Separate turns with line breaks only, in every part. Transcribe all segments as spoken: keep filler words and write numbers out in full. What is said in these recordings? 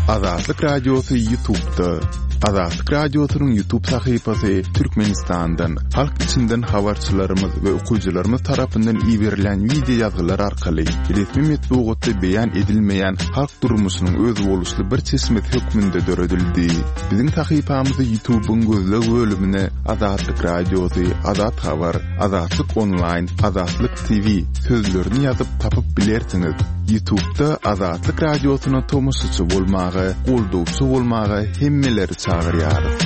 Azatlyk Radiosy YouTube'da. Azatlyk Radiosynyň YouTube sahypasy Türkmenistandan, halk içinden habarçylarymyz we okyjylarymyz tarapyndan iberilen wideo ýazgylar arkaly resmi metbugatda beýan edilmeýän halk durmuşynyň özboluşly bir çeşmesi hökmünde döredildi. Biziň sahypamyzy YouTube'yň gözleg bölümine Azatlyk Radiosy, Azat Habar, Azatlyk Online, Azatlyk T V sözlerini ýazyp tapyp bilersiňiz. YouTube'da Azatlyk Radiosyna tomaşaçy bolmaga, goldawçy bolmaga hemmeleri çagyrýarys.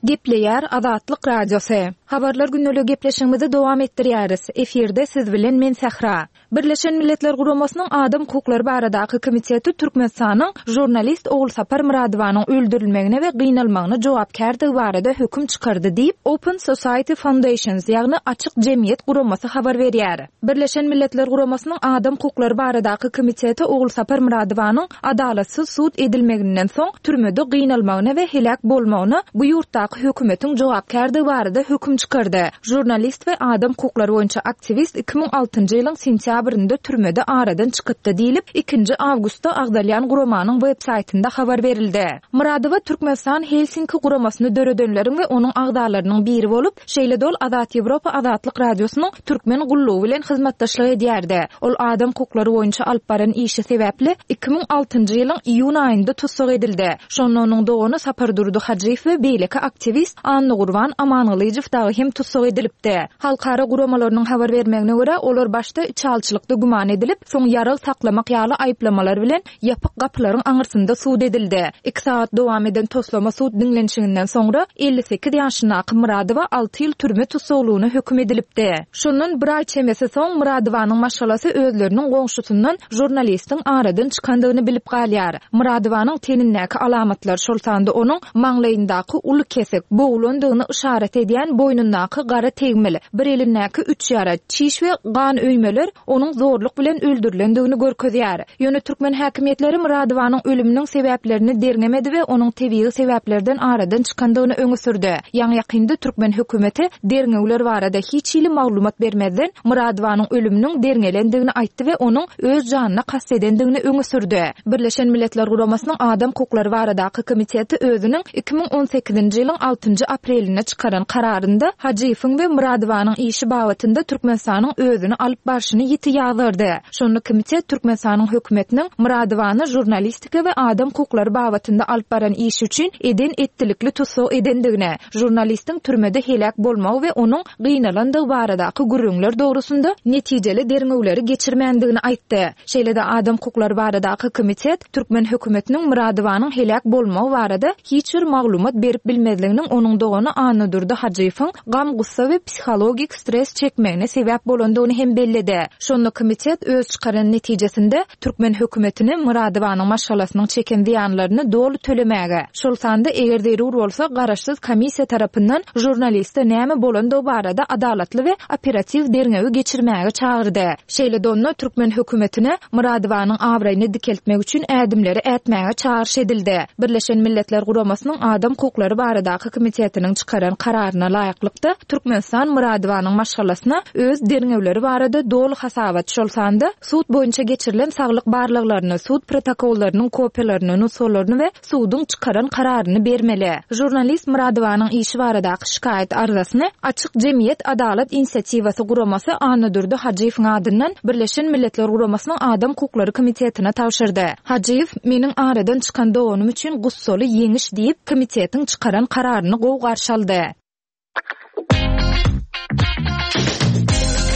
Gepleýär Azatlyk Radiosy. Habarlar günlügi gepleşigimizi dowam etdirýäris. Efirde siz bilen men Sähra. Birleşen Milletler Guramasynyň Adam Hukuklary baradaky komiteti Türkmenistanyň žurnalist Ogulsapar Myradowanyň öldürilmegine we gynalmagyna jogapkärdigi barada höküm çykardy diýip, Open Society Foundations, ýagny Açyk Jemgyýet Guramasy habar berýär. Birleşen Milletler Guramasynyň Adam Hukuklary baradaky komiteti Ogulsapar Myradowanyň adalatsyz sud edilmeginden soň türmede gynalmagyna we heläk bolmagyna bu ýurtdaky hökümetiň jogapkärdigi barada höküm çykardy. Žurnalist we adam hukuklary boýunça aktiwist iki müň altynjy ýylyň sentýabrynda türmede aradan çykypdy diýlip, ikinji awgustda agzalýan guramanyň web saýtynda habar berildi. Myradowa Türkmenistan Helsinki guramasyny döredenleriň we onuň agzalarynyň biri bolup, şeýle dol Azat Ýewropa Azatlyk Radiosynyň türkmen gullugy bilen hyzmatdaşlyk edýärdi. Ol adam hukuklary boýunça alyp baran işi sebäpli iki müň altynjy ýylyň iýun aýynda tussag edildi. Şonda onuň dogany Sapardurdy Hajyýew we beýleki aktiwist Annagurban Amangylyjow dagy hem tussag edilipdi. Halkara guramalarynyň habar bermegine görä, olar başda içalçylykda güman edilip, soň ýarag saklamak ýaly aýyplamalar bilen ýapyk gapylaryň aňyrsynda sud edildi. Iki sagat dowam eden toslama sud diňlenişiginden soňra elli sekiz ýaşyndaky Myradowa alty ýyl türme tussaglygyna höküm edilipdi. Şondan bir aý çemesi soň Myradowanyň maşgalasy özleriniň goňşusyndan žurnalistiň aradan çykandygyny bilip galýar. Myradowanyň tenindäki alamatlar, şol sanda onuň maňlaýyndaky uly kesik, bogulandygyny yşarat edýän boýnundaky gara tegmil, bir elindäki üç ýara, çiş we gan öýmeler onuň zorluk bilen öldürilendigini görkezýär. Ýöne türkmen häkimiýetleri Myradowanyň ölüminiň sebäplerini derňemedi we onuň tebigy sebäplerden aradan çykandygyny öňe sürdi. Ýaňy ýakynda türkmen hökümeti derňewler barada hiç hili maglumat bermezden Myradowanyň ölüminiň derňelendigini aýtdy we onuň öz janyna kast edendigini öňe sürdi. Birleşen Milletler Guramasynyň Adam Hukuklary baradaky komiteti özüniň iki müň on sekizinji ýylyň altynjy aprelinde çykaran kararynda Hajyýewiň we Myradowanyň işi babatynda Türkmenistanyň özüni alyp barşyny ýiti ýazgardy. Şonda komitet Türkmenistanyň hökümetiniň Myradowany žurnalistika we adam hukuklary babatynda alyp baran işi üçin eden etdilikli tussag edendigine, žurnalistiň türmede heläk bolmagy we onuň gynalandygy baradaky gürrüňler dogrusynda netijeli derňewleri geçirmändigini aýtdy. Şeýle-de adam hukuklary baradaky komitet türkmen hökümetiniň Myradowanyň heläk bolmagy barada hiç bir maglumat berip bilmezliginiň onuň dogany Annadurdy Hajyýewiň gam-gussa we psihologik stres çekmegine sebäp bolandygyny hem belledi. Şonda komitet öz çykaran netijesinde türkmen hökümetini Myradowanyň maşgalasynyň çeken zyýanlaryny doly tölemäge, şol sanda eger zerur bolsa garaşsyz komissiýa tarapyndan žurnaliste näme bolandygy barada adalatly we operatiw derňewi geçirmäge çagyrdy. Şeýle donda türkmen hökümetine Myradowanyň abraýyny dikeltmek üçin ädimleri ätmäge çagyryş edildi. Birleşen Milletler Guramasynyň Adam Hukuklary baradaky komitetiniň çykaran kararyna laýyklykda Türkmenistan Myradowanyň maşgalasyna öz derňewleri barada doly hasabat, şol sanda sud boýunça geçirilen saglyk barlaglaryny, sud protokollarynyň kopiýalaryny, nusgalaryny we suduň çykaran kararyny bermeli. Žurnalist Myradowanyň işi baradaky şikaýat arzasyny Açyk Jemgyýet Adalat Inisiatiwasy guramasy Annadurdy Hajyýewiň adyndan Birleşen Milletler Guramasynyň Adam Hukuklary Komitetine tabşyrdy. Hajyýew, meniň aradan çykan doganym üçin gussaly ýeňiş diýip, komitetiň çykaran kararyny gowy garşy aldy.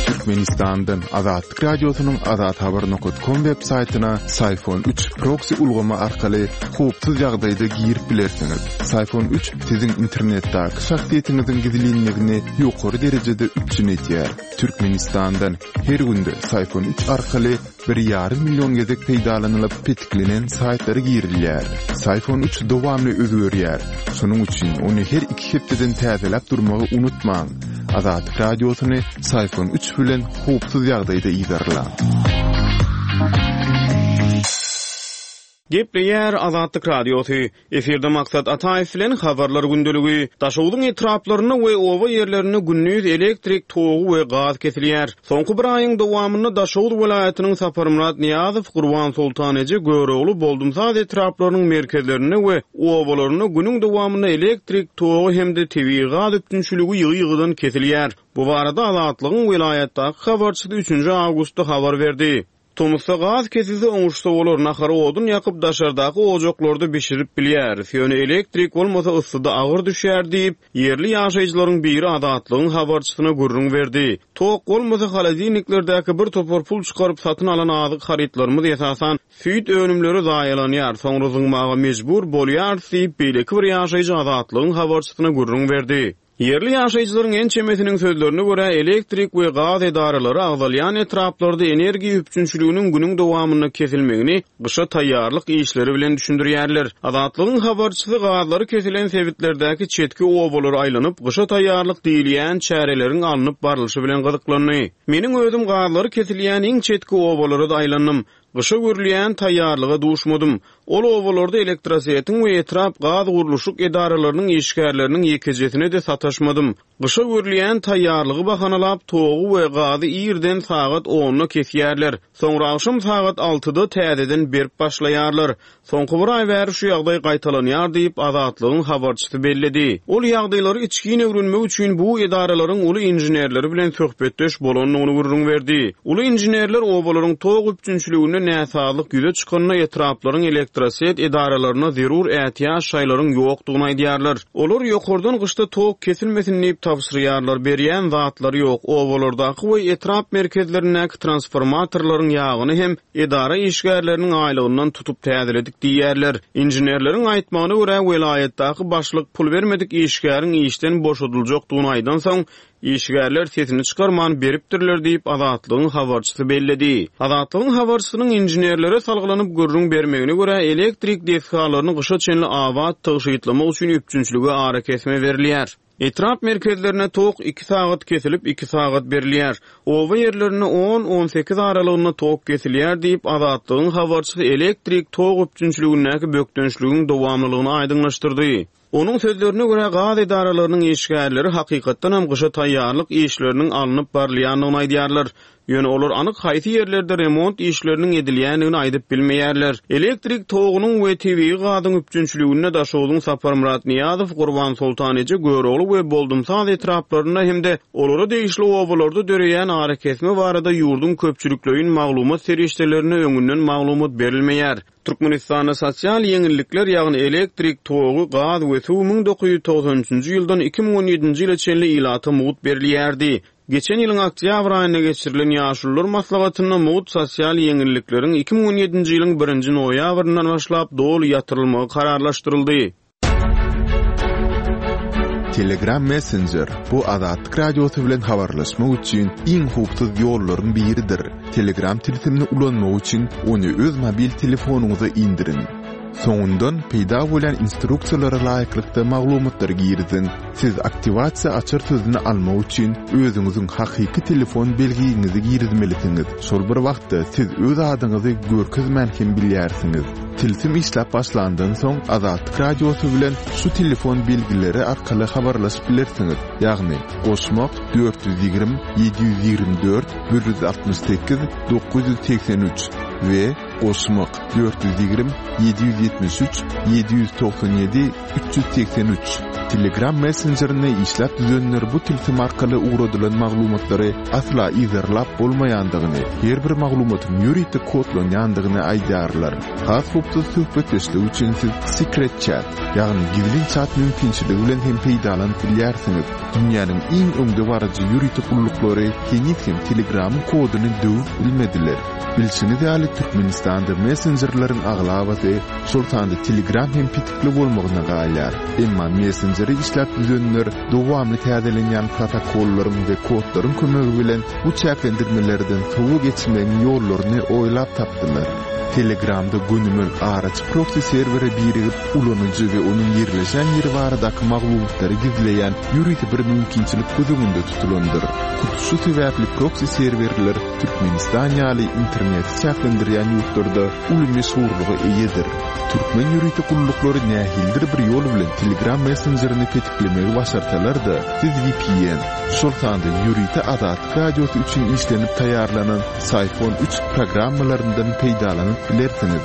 Türkmenistandan Azatlyk Radiosynyň azathabar nokta com web saýtyna Syfon üç proxy ulgamy arkaly howpsuz ýagdaýda girip bilersiňiz. Syfon üç siziň internetdäki şahsyýetiňiziň gizlinligini ýokary derejede üpjün edýär. Türkmenistandan her günde Syfon üç arkaly bir ýarym milyon gezek peýdalanylyp petiklenen saýtlara girilýär. Syfon üç dowamly özgerýär. Şonuň üçin ony her iki hepdeden täzeläp durmagy unutmaň. Azatlyk Radiosyny Syfon üç bilen howpsuz ýagdaýda yzarlaň.
Gepleýär Azatlyk Radiosy. Efirde Maksat Ataýew bilen habarlar gündeligi. Daşogzuň etraplarynda we oba ýerlerinde gündiz elektrik togy we gaz kesilýär. Soňky bir aýyň dowamynda Daşoguz welaýatynyň Saparmyrat Nyýazow, Gurbansoltan eje, Görogly, Boldumsaz etraplarynyň merkezlerinde we obalarynda günüň dowamynda elektrik togy hem-de tebigy gaz üpjünçiligi ýygy-ýygydan kesilýär. Bu barada Azatlygyň welaýatdaky habarçysy üçünji awgustda habar berdi. Tomusda gaz kesilse oňuşsa bolar, nahary odun ýakyp daşardaky ojaklarda bişirip bilýäris. Ýöne elektrik bolmasa yssyda agyr düşýär diýip, ýerli ýaşaýjylaryň biri Azatlygyň habarçysyna gürrüň berdi. Tok bolmasa holodilniklerdäki bir topar pul çykaryp satyn alan azyk harytlarymyz esasan süýt önümleri zaýalanýar, soňra zyňmaga mejbur bolýarys diýip, beýleki bir ýaşaýjy Azatlygyň habarçysyna gürrüň berdi. Ýerli ýaşaýjylaryň ençemesiniň sözlerine görä elektrik we gaz edaralary agzalýan etraplarda energiýa üpjünçiliginiň günüň dowamynda kesilmegini gyşa taýýarlyk işleri bilen düşündirýärler. Azatlygyň habarçysy gazlary kesilen sebitlerdäki çetki obalara aýlanyp, gyşa taýýarlyk diýilýän çäreleriň alnyp barlyşy bilen gyzyklandy. Meniň özüm gazlary kesilýän iň çetki obalara da aýlandym. Gyşa görülýän taýýarlyga duşmadym. Ol obalarda elektrosetiň we etrap gaz gurluşyk edaralarynyň işgärleriniň ýekejesine de sataşmadym. Gyşa görülýän taýýarlygy bahanalap togy we gazy irden sagat onda kesýärler. Soňra akşam sagat altyda täzeden berip başlaýarlar. Soňky bir aý bäri şu ýagdaý gaýtalanýar diýip Azatlygyň habarçysy belledi. Ol ýagdaýlary içgin öwrenmek üçin bu edaralaryň uly inženerleri bilen söhbetdeş bolandygyny gürrüň berdi. Uly inženerler obalaryň tok üpjünçiliginde näsazlyk ýüze çykanda etraplaryň elektroset edaralaryna zerur ätiýaç şaýlaryň ýokdugyny aýdýarlar. Olar ýokardan gyşda tok kesilmesin diýip tabşyrýarlar, berýän zatlary ýok. Obalardaky we etrap merkezlerindäki transformatorlaryň ýagyny hem edara işgärleriniň aýlygyndan tutup täzeledik diýýärler. Inženerleriň aýtmagyna görä welaýatdaky başlyk pul bermedik işgäriň işden boşadyljakdygyny aýdan soň işgärler sesini çykarman beripdirler diýip Azatlygyň habarçysy belledi. Azatlygyň habarçysynyň inženerlere salgylanyp gürrüň bermegine görä elektrik desgalaryny gyşa çenli abat tygşytlamak üçin üpjünçilige arakesme berilýär. Etrap merkezlerine tok iki sagat kesilip iki sagat berilýär. Oba ýerlerinde on on sekiz aralygynda tok kesilýär diýip Azatlygyň habarçysy elektrik tok üpjünçiligindäki bökdençligiň dowamlylygyny aýdyňlaşdyrdy. Onuň sözlerine görä gaz edaralarynyň işgärleri hakykatdan hem gyşa taýýarlyk işleriniň alnyp barylýandygyny aýdýarlar. Ýöne olar anyk haýsy ýerlerde remont işleriniň edilýändigini aýdyp bilmeýärler. Elektrik togunyň we tebigy gazyň üpjünçiliginde Daşogzuň Saparmyrat Nyýazow, Gurbansoltan eje, Görogly we Boldumsaz etraplarynda hem-de olara degişli obalarda döreýän arakesme barada ýurduň köpçülikleýin maglumat serişdelerine öňünden maglumat berilmeýär. Türkmenistanda sosial ýeňillikler, ýagny elektrik togy, gaz we suw müň dokuz ýüz togsan üçünji ýyldan iki müň on ýedinji ýyla çenli ilata mugt berilýärdi. Geçen ýylyň oktýabr aýynda geçirilen ýaşulular maslahatynda mugt sosial ýeňillikleriň iki müň on ýedinji ýylyň birinji noýabryndan başlap doly ýatyrylmagy kararlaşdyryldy.
Telegram Messenger bu Azatlyk Radiosy bilen habarlaşmak üçin iň howpsuz ýollaryň biridir. Telegram tilsimini ulanmak üçin ony öz mobil telefonyňyza indiriň. Soňundan peýda bolan instruksiýalara laýyklykda maglumatlary giriziň. Siz aktiwasiýa açar sözüni almak üçin özüňiziň hakyky telefon belgiňizi girizmelisiňiz. Şol bir wagtda siz öz adyňyzy görkezmän hem bilýärsiňiz. Tilsim işläp başlandan soň Azatlyk Radiosy bilen şu telefon belgileri arkaly habarlaşyp bilersiňiz. Ýagny goşmak dört ýüz ýigrimi, ýedi ýüz ýigrimi dört, bir ýüz altmyş sekiz, dokuz ýüz segsen üç we goşmak dört ýüz ýigrimi, ýedi ýüz ýetmiş üç, ýedi ýüz togsan ýedi, üç ýüz segsen üç. Telegram Messengerine işläp düzenler bu tilsim arkaly ugradylan maglumatlary asla yzarlap bolmaýandygyny, her bir maglumatyň ýörite kodlanýandygyny aýdýarlar. Has howpsuz söhbetdeşlik üçin siz Secret Chat, ýagny gizlin chat mümkinçiligi bilen hem peýdalanyp bilýärsiňiz. Dünýäniň iň öňdebaryjy ýörite gulluklary heniz hem Telegramyň koduny döwüp bilmediler. Bilşiňiz ýaly Türkmenistanda messenjerleriň aglabasy, şol sanda Telegram hem petikli bolmagyna galýar. Emma messengeri işläp düzenler dowamly täzelenýän protokollaryň we kodlaryň kömegi bilen bu çäklendirmelerden sowa geçmegiň ýollaryny oýlap tapdylar. Telegramda gönümel araçy proxy serwere birigip, ulanyjy we onuň ýerleşen ýeri baradaky maglumatlary gizleýän ýörite bir mümkinçilik göz öňünde tutulandyr. Hut şu sebäpli proxy serwerler Türkmenistan ýaly interneti çäklendirýän ýurtlarda uly meşhurlyga eýedir. Türkmen ýörite gulluklary nähilidir bir ýol bilen Telegram messenjerini petiklemegi başarsalar-da, siz V P N, şol sanda ýörite Azatlyk Radiosy üçin işlenip taýýarlanan Psiphon üç programmalaryndan peýdalanyp bilersiňiz.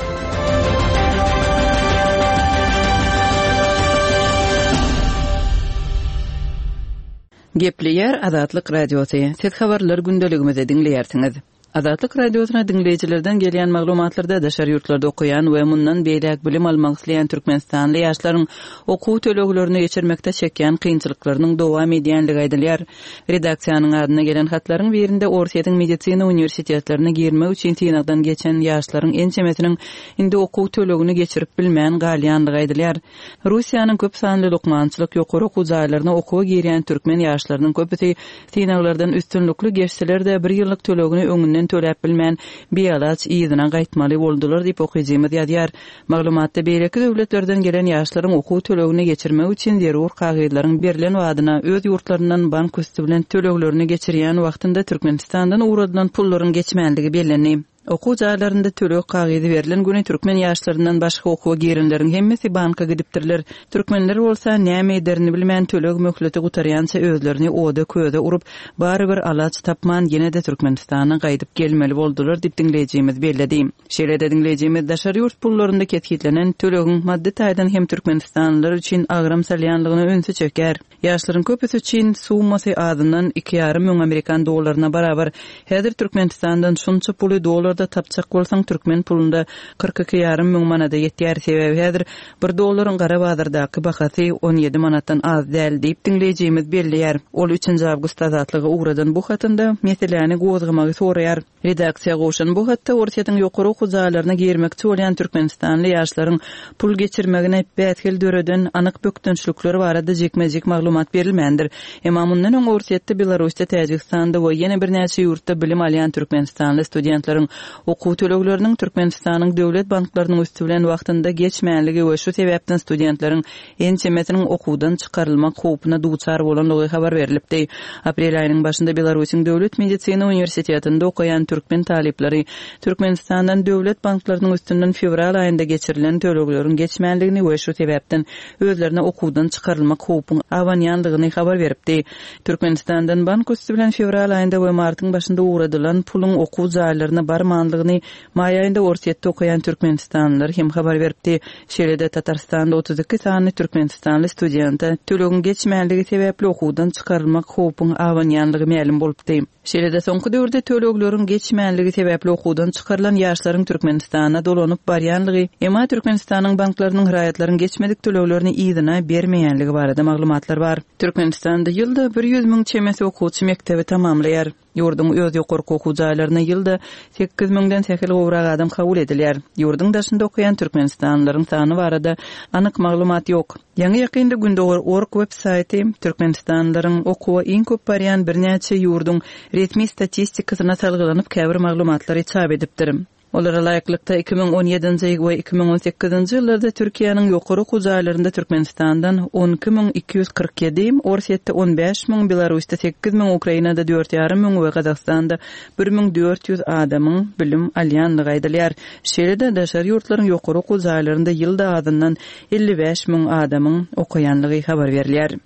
Gepleýär Azatlyk Radiosy. Siz habarlar gündeligimizi diňleýärsiňiz. Azatlyk Radiosyna diňleýjilerden gelýän maglumatlarda daşary ýurtlarda okaýan we mundan beýläk bilim almak isleýän türkmenistanly ýaşlaryň okuw töleglerini geçirmekde çekýän kynçylyklarynyň dowam edýänligi aýdylýar. Redaksiýanyň adyna gelen hatlaryň birinde Orsýetiň medisina uniwersitetlerine girmek üçin synagdan geçen ýaşlaryň ençemesiniň indi okuw tölegini geçirip bilmän galýanlygy aýdylýar. Russiýanyň köp sanly lukmançylyk ýokary okuw jaýlaryna okuwa girýän türkmen ýaşlarynyň köpüsi synaglardan üstünlikli geçseler-de bir ýyllyk tölegini öňünden töläp bilmän bialaç yzyna gaýtmaly boldular diýip okyjymyz ýazýar. Maglumatda beýleki döwletlerden gelen ýaşlaryň okuw tölegini geçirmek üçin zerur kagyzlaryň berlen badyna öz ýurtlaryndan bank üsti bilen töleglerini geçirýän wagtynda Türkmenistandan ugradylan pullaryň geçmänligi bellendi. Okuw jaýlarynda töleg kagyzy berlen güni türkmen ýaşlaryndan başga okuwa girenleriň hemmesi banka gidipdirler. Türkmenler bolsa näme ederini bilmän töleg möhleti gutarýança özlerini oda köze urup, barybir alaç tapman ýene-de Türkmenistana gaýdyp gelmeli boldular diýip diňleýjimiz belledi. Şeýle-de diňleýjimiz daşary ýurt pullarynda kesgitlenen tölegiň maddy taýdan hem türkmenistanlylar üçin agram salýanlygyna ünsi çeker. Ýaşlaryň köpüsi üçin summasy azyndan iki ýarym müň amerikan dollaryna barabar. Häzir Türkmenistandan şunça puly dollarda tapjak bolsaň türkmen pulunda kyrk iki ýarym müň manada ýetýär. Sebäbi häzir bir dollaryň gara bazardaky bahasy on ýedi manatdan az däl diýip diňleýjimiz belleýär. Ol üçünji awgust Azatlyga ugradan bu hatynda meseläni gozgamagy soraýar. Redaksiýa gowşan bu hatda Orsýetiň ýokary okuw jaýlaryna girmekçi bolýan türkmenistanly ýaşlaryň pul geçirmegine bäsgel döreden anyk bökdençlikler barada jikme-jik maglumat berilmändir. Emma mundan öň Orsýetde, Belarusda, Täjigistanda we ýene birnäçe ýurtda bilim alýan türkmenistanly studentleriň okuw tölegleriniň Türkmenistanyň döwlet banklarynyň üsti bilen wagtynda geçmänligi we şu sebäpden studentleriň ençemesiniň okuwdan çykarylmak howpuna duçar bolanlygy habar berilipdi. Aprel aýynyň başynda Belarusyň Döwlet Medisina Uniwersitetinde okaýan türkmen talyplary Türkmenistandan döwlet banklarynyň üstünden fewral aýynda geçirilen tölegleriň geçmänligini we şu sebäpden özlerine okuwdan çykarylmak howpuň abanýanlygyny habar beripdi. Türkmenistandan bank üsti bilen fewral aýynda we martyň başynda ugradylan puluň okuw jaýlaryna barmanlygyny maý aýynda Orsýetde okaýan türkmenistanlylar hem habar beripdi. Şeýle-de Tatarstanda otuz iki sany türkmenistanly studente tölegiň geçmänligi sebäpli okuwdan çykarylmak howpuň abanýanlygy mälim bolupdy. Şeýle-de soňky döwürde tölegleriň geçmänligi sebäpli okuwdan çykarylan ýaşlaryň Türkmenistana dolanyp barýanlygy, emma Türkmenistanyň banklarynyň raýatlaryň geçmedik töleglerini yzyna bermeýänligi barada maglumatlar bar. Türkmenistanda ýylda bir ýüz müň çemesi okuwçy mekdebi tamamlaýar. Ýurduň öz ýokary okuw jaýlaryna ýylda sekiz müňden sähel gowrak adam kabul edilýär. Ýurduň daşynda okaýan türkmenistanlylaryň sany barada anyk maglumat ýok. Ýaňy ýakynda Gündogar org web saýty türkmenistanlylaryň okuwa iň köp barýan birnäçe ýurduň resmi statistikasyna salgylanyp käbir maglumatlary çap edipdir. Olara laýyklykda iki müň on ýedinji we iki müň on sekizinji ýyllarda Türkiýäniň ýokary okuw jaýlarynda Türkmenistandan on iki müň iki ýüz kyrk ýedi, Orsýetde on bäş müň, Belarusda sekiz müň, Ukrainada dört ýarym müň we Gazagystanda bir müň dört ýüz adamyň bilim alýanlygy aýdylýar. Şeýle-de daşary ýurtlaryň ýokary okuw jaýlarynda ýylda azyndan elli bäş müň adamyň okaýanlygy habar berilýär.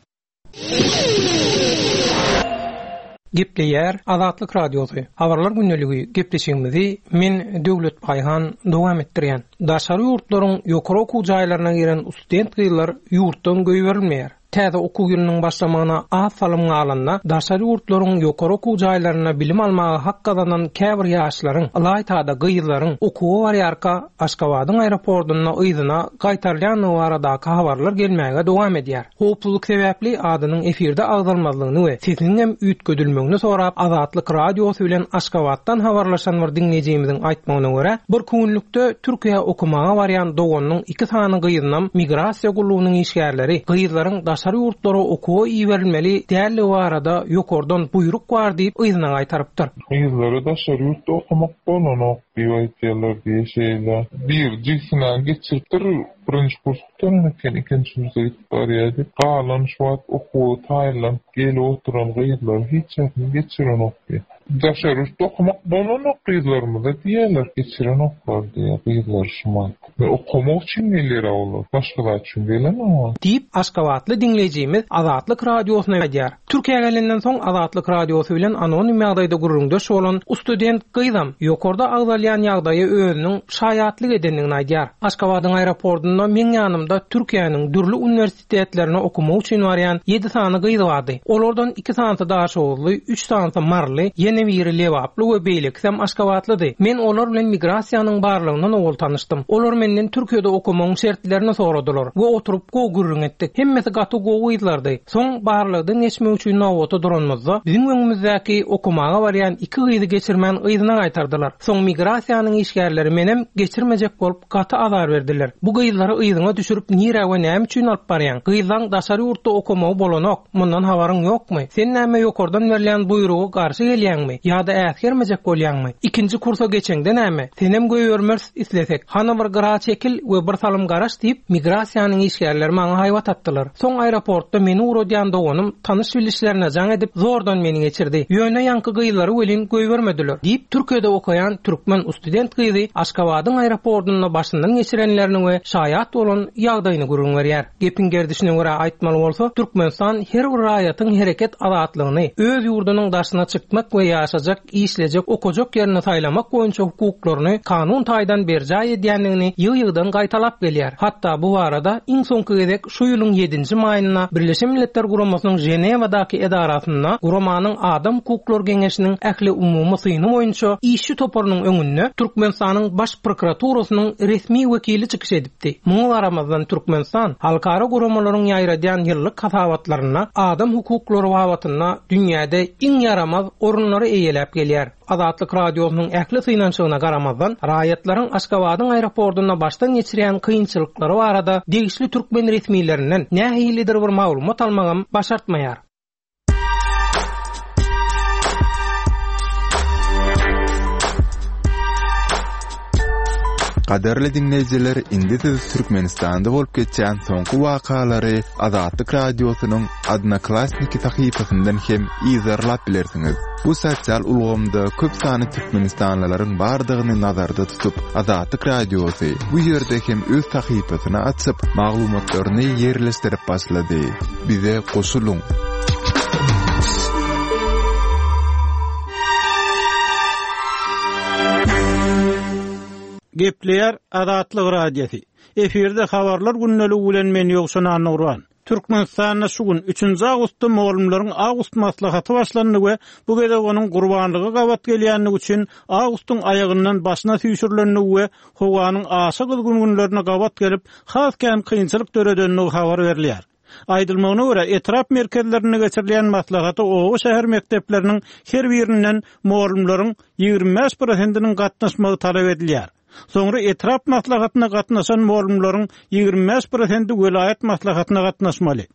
Gepleýär Azatlyk Radiosy. Habarlar gündeligi gepleşigimizi men Döwlet Baýhan dowam etdirýän. Daşary ýurtlaryň ýokary okuw jaýlaryna giren student gyzlar ýurtdan goýberilmeýär. Täze okuw ýylynyň başlamagyna az salym galanda daşary ýurtlaryň ýokary okuw jaýlaryna bilim almaga hak gazanan käbir ýaşlaryň, ylaýtada gyzlaryň okuwa barýarka Aşgabadyň aeroportunda yzyna gaýtarylýanlygy baradaky habarlar gelmäge dowam edýär. Howpsuzlyk sebäpli adynyň efirde agzalmazlygyny we sesiniň hem üýtgedilmegini sorap Azatlyk Radiosy bilen Aşgabatdan habarlaşan bir diňleýjimizin aýtmagyna görä, bir günlükde Türkiýä okumaga barýan doganynyň iki sany gyzynam migrasiýa gullugynyň işgärleri gyzlaryň daşary ýurtlara okuwa iberilmeli däldigi barada ýokardan buýruk bar diýip yzyna gaýtarypdyr.
Gyzlara daşary ýurtda okamak bolanok diýip aýtýarlar diýe şeýle. Bir jigsine geçiripdir, birinji kurs gutaran eken, ikinji kursa gidip barýardy. Galan şu wagt okuwa taýynlanyp gelip oturan gyzlar hiç ýerini geçirenok diýe. Daşary ýurtda okamak bolanok gyzlarymyza diýerler, geçirenoklar diýe gyzlar şu wagt. Ve okamak üçin gelýär olar, başga zat üçin gelenok.
Diýip Aşgabatly diňleýjimiz Azatlyk radiosyna aýdýar. Türkiýä gelenden soň Azatlyk radiosy bilen anonim ýagdaýda gürrüňdeş bolan student gyzam ýokarda agzalýan ýagdaýy özüniň şaýatlyk edendigini aýdýar. Aşgabadyň aeroportunda meň ýanymda Türkiýäniň dürli uniwersitetlerine okumak üçin barýan ýedi sany gyz bardy. Olardan iki sanysy Daşoguzly, üç sanysy Marly, ýene biri Lebaply we beýlekisi Aşgabatlydy. Men olar bilen migrasiýanyň barlygyndan owal tanyşdym. Olar menden Türkiýede okumagyň şertlerini soradylar we oturyp gowy gürrüň etdik. Hemmesi gaty gowy gyzlardy. Soň barlykdan geçmek üçin nowata duranymyzda biziň öňümizdäki okumaga barýan iki gyzy geçirmän yzyna gaýtardylar. Soň migrasiýanyň işgärleri menem geçirmejek bolup gaty azar berdiler. Bu gyzlary yzyna düşürip nirä we näme üçin alyp barýaň? Gyzlaň daşary ýurtda okamagy bolanok. Mundan habaryň ýokmy? Sen näme ýokardan berilýän buýrugy garşy gelýäňmi? Ýa-da äsgermejek bolýaňmy? Ikinji kursa geçeňde näme? Senem goýbermez islesek. Hany bir gyra çekil we bir salym garaş diýip migrasiýanyň işgärleri maňa haýbat atdylar. Soň aeroportda meni ugradýan doganym tanyş bilişlerine jaň edip zordan meni geçirdi. Ýöne ýaňky gyzlary welin goýbermediler diýip Türkiýede okaýan türkmen student gyzy Aşgabadyň aeroportunda başyndan geçirenlerini we şaýat bolan ýagdaýyny gürrüň berýär. Gepiň gerdişine görä aýtmaly bolsa, Türkmenistan her bir raýatyň hereket azatlygyny, öz ýurdunyň daşyna çykmak we ýaşajak, işlejek, okajak ýerini saýlamak boýunça hukuklaryny kanun taýdan berjaý edýändigini ýygy-ýygydan gaýtalap gelýär. Hatda bu barada iň soňky gezek şu ýylyň ýedinji maýynda Birleşen Milletler Guramasynyň Ženewadaky edarasynda guramanyň Adam hukuklary geňeşiniň ähli umumy syny boýunça işçi toparynyň öňünde Türkmenistanyň baş prokuraturasynyň resmi wekili çykyş edipdi. Muňa garamazdan Türkmenistan halkara guramalaryň ýaýradýan ýyllyk hasabatlarynda adam hukuklary babatynda dünýäde iň ýaramaz orunlary eýeläp gelýär. Azatlyk radiosynyň ähli synanyşygyna garamazdan raýatlaryň Aşgabadyň aeroportunda başdan geçirýän kynçylyklary barada degişli türkmen resmilerinden nähilidir bir maglumat almagam başartmaýar.
Gadarly dinleýjiler, indi siz Türkmenistanda bolup geçen soňky wakalary Azatlyk radiosynyň Odnoklassniki sahypasyndan hem izarlap bilersiňiz. Bu sosial ulgamda köp sany türkmenistanlylaryň bardygyny nazarda tutup, Azatlyk radiosy bu ýerde hem öz sahypasyny açyp, maglumatlaryny ýerleşdirip başlady. Bize goşulyň.
Gepleýär Azatlyk Radiosy. Efirde habarlar gündeligi bilen men Ýowşan Annurban. Türkmenistanda şu gün üçünji awgustda mugallymlaryň awgust maslahaty başlandy we bu gezek onuň gurbanlygy gabat gelýänligi üçin awgustyň aýagyndan başyna süýşürilendigi we howanyň aşa gyzgyn günlerine gabat gelip has kän kynçylyk döredendigi habar berilýär. Aýdylmagyna görä etrap merkezlerinde geçirilýän maslahata oba şäher mekdepleriniň her birinden mugallymlaryň ýigrimi bäş prosentiniň gatnaşmagy talap edilýär. Soňra etrap maslahatyna gatnaşan mugallymlaryň ýigrimi bäş prosenti welaýat maslahatyna gatnaşmaly.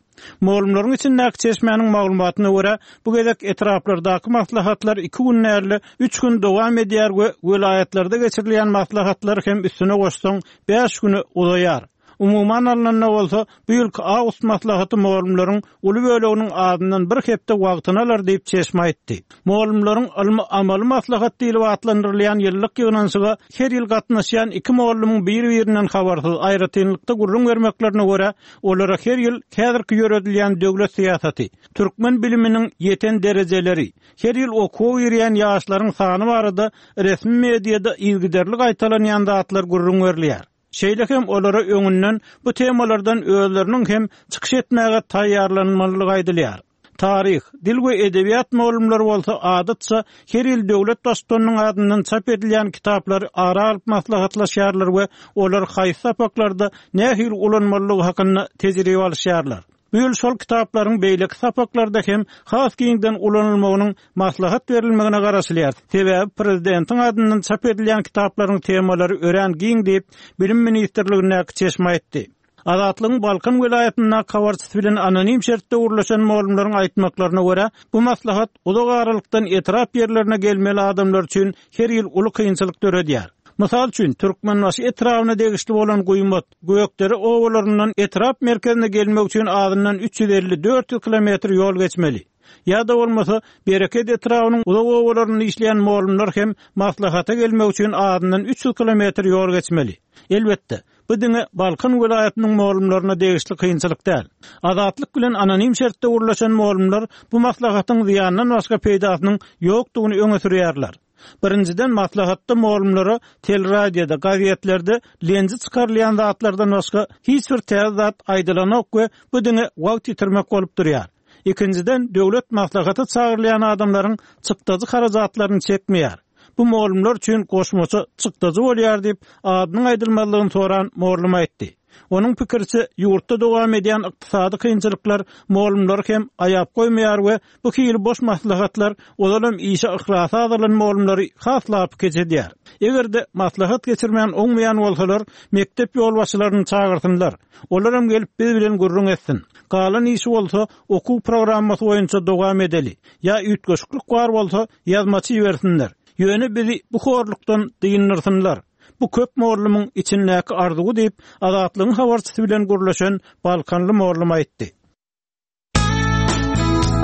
Mugallymlaryň içindäki çeşmäniň maglumatyna görä bu gezek etraplardaky maslahatlar iki gün däl, üç gün dowam edýär we welaýatlarda geçirilýän maslahatlar hem üstüne goşsaň bäş güne uzaýar. Umuman alnanda bolsa bu ýylky awgust maslahaty mugallymlaryň uly böleginiň adyndan bir hepde wagtyny alar diýip çeşme aýtdy. Mugallymlaryň ylmy amaly maslahat diýlip atlandyrylýan ýyllyk ýygnanyşyga her ýyl gatnaşýan iki mugallymyň bir-birinden habarsyz aýratynlykda gürrüň bermeklerine görä olara her ýyl häzirki ýöredilýän döwlet syýasaty, türkmen biliminiň ýeten derejeleri, her ýyl okuwa girýän ýaşlaryň sany barada resmi mediada yzygiderli gaýtalanýan zatlar gürrüň berilýär. Şeýle hem olara öňünden bu temalardan özleriniň hem çykyş etmäge taýýarlanmalydygy aýdylýar. Tarih, dil we edebiýat mugallymlary bolsa adatça her ýyl döwlet baştutanynyň adyndan çap edilýän kitaplary ara alyp maslahatlaşýarlar we olar haýsy sapaklarda nähili ulanmalydygy hakynda tejribe alyşýarlar. Bu ýyl şol kitaplaryň beýleki sapaklarda hem has giňden ulanylmagynyň maslahat berilmegine garaşylýar. Sebäbi prezidentiň adyndan çap edilýän kitaplaryň temalary örän giň diýip, Bilim ministrligindäki çeşme aýtdy. Azatlygyň Balkan welaýatyndaky habarçysy bilen anonim şertde gürleşen mugallymlaryň aýtmaklaryna görä, bu maslahat uzak aralykdan etrap ýerlerine gelmeli adamlar üçin her ýyl uly kynçylyk döredýär. Mysal üçin, Türkmenbaşy etrabyna degişli bolan Guýmat, Gökdere obalaryndan etrap merkezine gelmek üçin azyndan üç ýüz elli dört ýüz kilometr ýol geçmeli. Ýa-da bolmasa, Bereket etrabynyň uzak obalarynda işleýän mugallymlar hem maslahata gelmek üçin azyndan üç ýüz kilometr ýol geçmeli. Elbetde, bu diňe Balkan welaýatynyň mugallymlaryna degişli kynçylyk däl. Azatlyk bilen anonim şertde gürleşen mugallymlar bu maslahatyň zyýandan başga peýdasynyň ýokdugyny öňe sürýärler. Birinjiden, maslahatda mugallymlara teleradioda, gazetlerde lenji çykarylýan zatlardan başga hiç bir täze zat aýdylanok we bu diňe wagt ýitirmek bolup durýar. Ikinjiden, döwlet maslahata çagyrylýan adamlaryň çykdajy harajatlaryny çekmeýär. Bu mugallymlar üçin goşmaça çykdajy bolýar diýip, adynyň aýdylmazlygyny soran mugallym aýtdy. Onuň pikiriçe, ýurtda dowam edýän ykdysady kynçylyklar mugallymlary hem aýap goýmaýar we bu hili boş maslahatlar ozalam işe yhlasy azalan mugallymlary has lapykeç edýär. Eger-de maslahat geçirmän oňmaýan bolsalar, mekdep ýolbaşçylaryny çagyrsynlar. Olaram gelip biz bilen gürrüň etsin. Galan işi bolsa okuw programmasy boýunça dowam edeli. Ýa üýtgeşiklik bar bolsa ýazmaçy bersinler. Ýöne bizi bu horlukdan dyndyrsynlar. Bu köp mugallymyň içindäki arzuwy diýip, Azatlygyň habarçysy bilen gürleşen Balkanly mugallym aýtdy.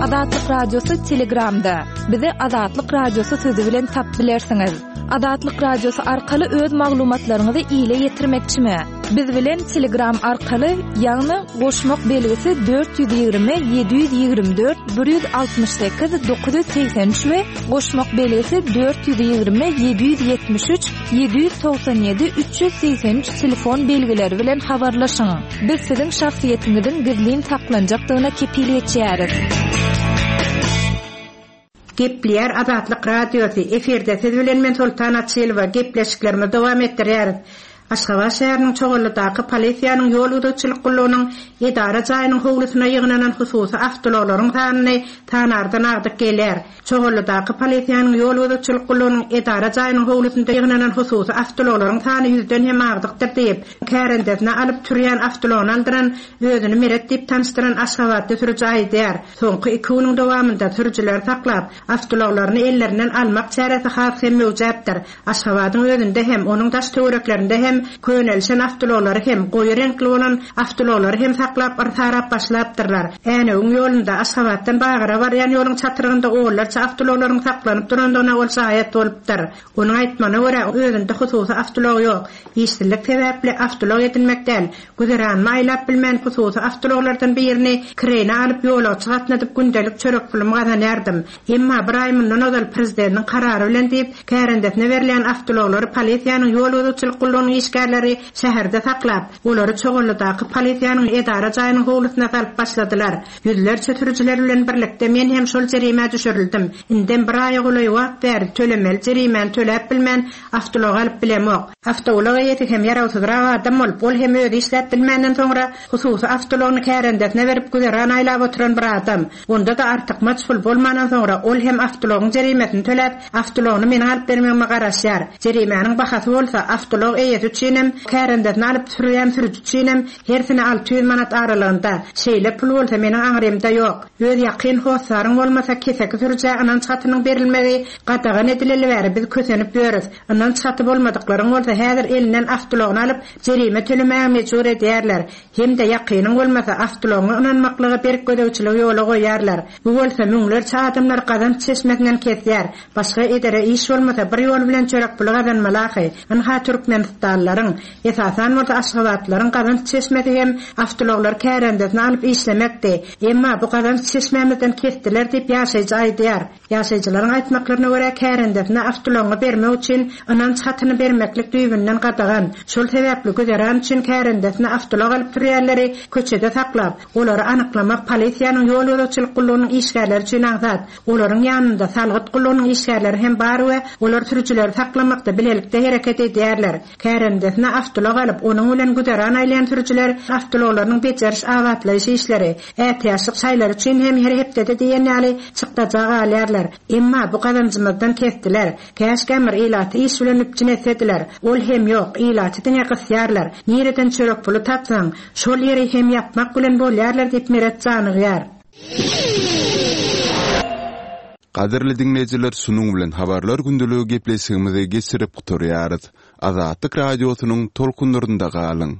Azatlyk Radiosy Telegramda. Bizi Azatlyk Radiosy sözi bilen tap bilersiňiz. Azatlyk Radiosy arkaly öz maglumatlaryňyzy ile ýetirmekçimi? Biz bilen Telegram arkaly, ýagny goşmak belgisi dört ýüz ýigrimi ýedi ýüz ýigrimi dört bir ýüz altmyş sekiz dokuz ýüz segsen üç we goşmak belgisi dört ýüz ýigrimi ýedi ýüz ýetmiş üç ýedi ýüz togsan ýedi üç ýüz segsen üç telefon belgileri bilen habarlaşyň. Biz siziň şahsyýetiňiziň gizlin saklanjakdygyna kepil geçýäris.
Gepleýär Azatlyk Radiosy. Efirde siz bilen men Sultan Açylowa gepleşiklerimizi dowam etdirýäris. Aşgabat şäheriniň Çoganlydaky polisiýanyň ýol gözegçilik gullugynyň edara jaýynyň howlusyna ýygnanan hususy awtoulaglaryň sanyny tanardan agdyk gelýär. Çoganlydaky polisiýanyň ýol gözegçilik gullugynyň edara jaýynyň howlusynda ýygnanan hususy awtoulaglaryň sany ýüzden hem agdykdyr diýip, kärendesine alyp türýän awtoulagyny aldyran, özüni Meret diýip tanyşdyran Aşgabatda sürüji aýdýar. Soňky iki günüň dowamynda sürüjileri saklap, awtoulaglaryny ellerinden almak çäresi has hem möwjäpdir. Aşgabadyň özünde hem, onuň daş töwereklerinde hem könelişen awtoulaglary hem, goýy reňkli bolan awtoulaglary hem saklap yrsarap başlapdyrlar. Änewiň ýolunda Aşgabatdan Bagyra barýan ýoluň çatyrygynda onlarça awtoulaglaryň saklanyp durandygyna ol şaýat bolupdyr. Onuň aýtmagyna görä, özünde hususy awtoulag ýok. Işsizlik sebäpli awtoulag edinmek däl, güzeranmy aýlap bilmän hususy awtoulaglardan birini kireýne alyp ýolagçy gatnadyp gündelik çörek pulumy gazanýardym. Emma bir aý mundan ozal prezidentiň karary bilen diýip, kärendesine berilýän awtoulaglary polisiýanyň ýol gözegçilik gullugynyň işgärleri şäherde saklap, olary Çoganlydaky polisiýanyň edara jaýynyň howlusyna salyp başladylar. Ýüzlerçe sürüjiler bilen birlikde men hem şol jerimä düşürildim. Indem bir aýa golaý wagt bäri tölemeli jerimäni töläp bilmän awtoulag alyp bilemok. Awtoulag eýesi hem ýarawsyzrak adam bolup, ol hem özi işläp bilmänden soňra hususy awtoulagyny kärendesine berip güzeran aýlap oturan bir adam. Onda da artykmaç pul bolmandan soňra ol hem awtoulagyň jerimesini töläp, awtoulagyny meniň alyp bermegime garaşýar. Jerimäniň bahasy bolsa awtoulag eýesi üçin hem kärendesine alyp sürýän sürüji üçin hem hersine alty ýüz manat aralygynda. Şeýle pul bolsa meniň aňrymda ýok. Öz ýakyn hossaryň bolmasa keseki sürüjä ynanç hatynyň berilmegi gadagan edileli bäri biz kösenip ýörüs. Ynanç haty bolmadyklaryň bolsa häzir elinden awtoulagyny alyp jerime tölemäge mejbur edýärler. Hem-de ýakynyň bolmasa awtoulagyňa ynanmaklyga berk gözegçiligi ýola goýarlar. Bu bolsa müňlerçe adamlar gazanç çeşmesinden kesýär. Başga edere iş bolmasa bir ýol bilen çörek puly gazanmaly ahy. Ynha Türkmenistanlaryň, esasan bolsa Aşgabatlaryň gazanç çeşmesi hem awtoulaglar kärendesine alyp işlemekdi. Emma bu gazanç çeşmämizden kesdiler diýip ýaşaýjy aýdýar. Ýaşaýjylaryň aýtmaklaryna görä kärendesine awtoulagyňy bermek üçin ynanç hatyny bermeklik düýbünden gadagan. Şol sebäpli güzeran üçin kärendesine awtoulag alyp sürýänleri köçede saklap, olary anyklamak polisiýanyň ýol gözegçilik gullugynyň işgärleri üçin aňsat. Olaryň ýanynda salgyt gullugynyň işgärleri hem bar we olar sürüjileri saklamakda bilelikde hereket edýärler. Kärendesine Arendesine awtoulag alyp, onuň bilen güzeran aýlaýan sürüjiler awtoulaglarynyň bejeriş-abatlaýyş işleri, ätiýaçlyk şaýlary üçin hem her hepdede diýen ýaly çykdaja galýarlar. Emma bu gazanjymyzdan kesdiler. Käşgä bir ilaty iş bilen üpjün etsediler. Ol hem ýok, ilaty diňe gysýarlar. Nireden çörek puly tapsaň, şol ýeri hem ýapmak bilen bolýarlar diýip Meret janygýar.
Gadyrly diňleýjiler, şunuň bilen Habarlar gündeligi gepleşigimizi geçirip gutarýarys. Azatlyk Radiosynyň tolkunlarynda galyň!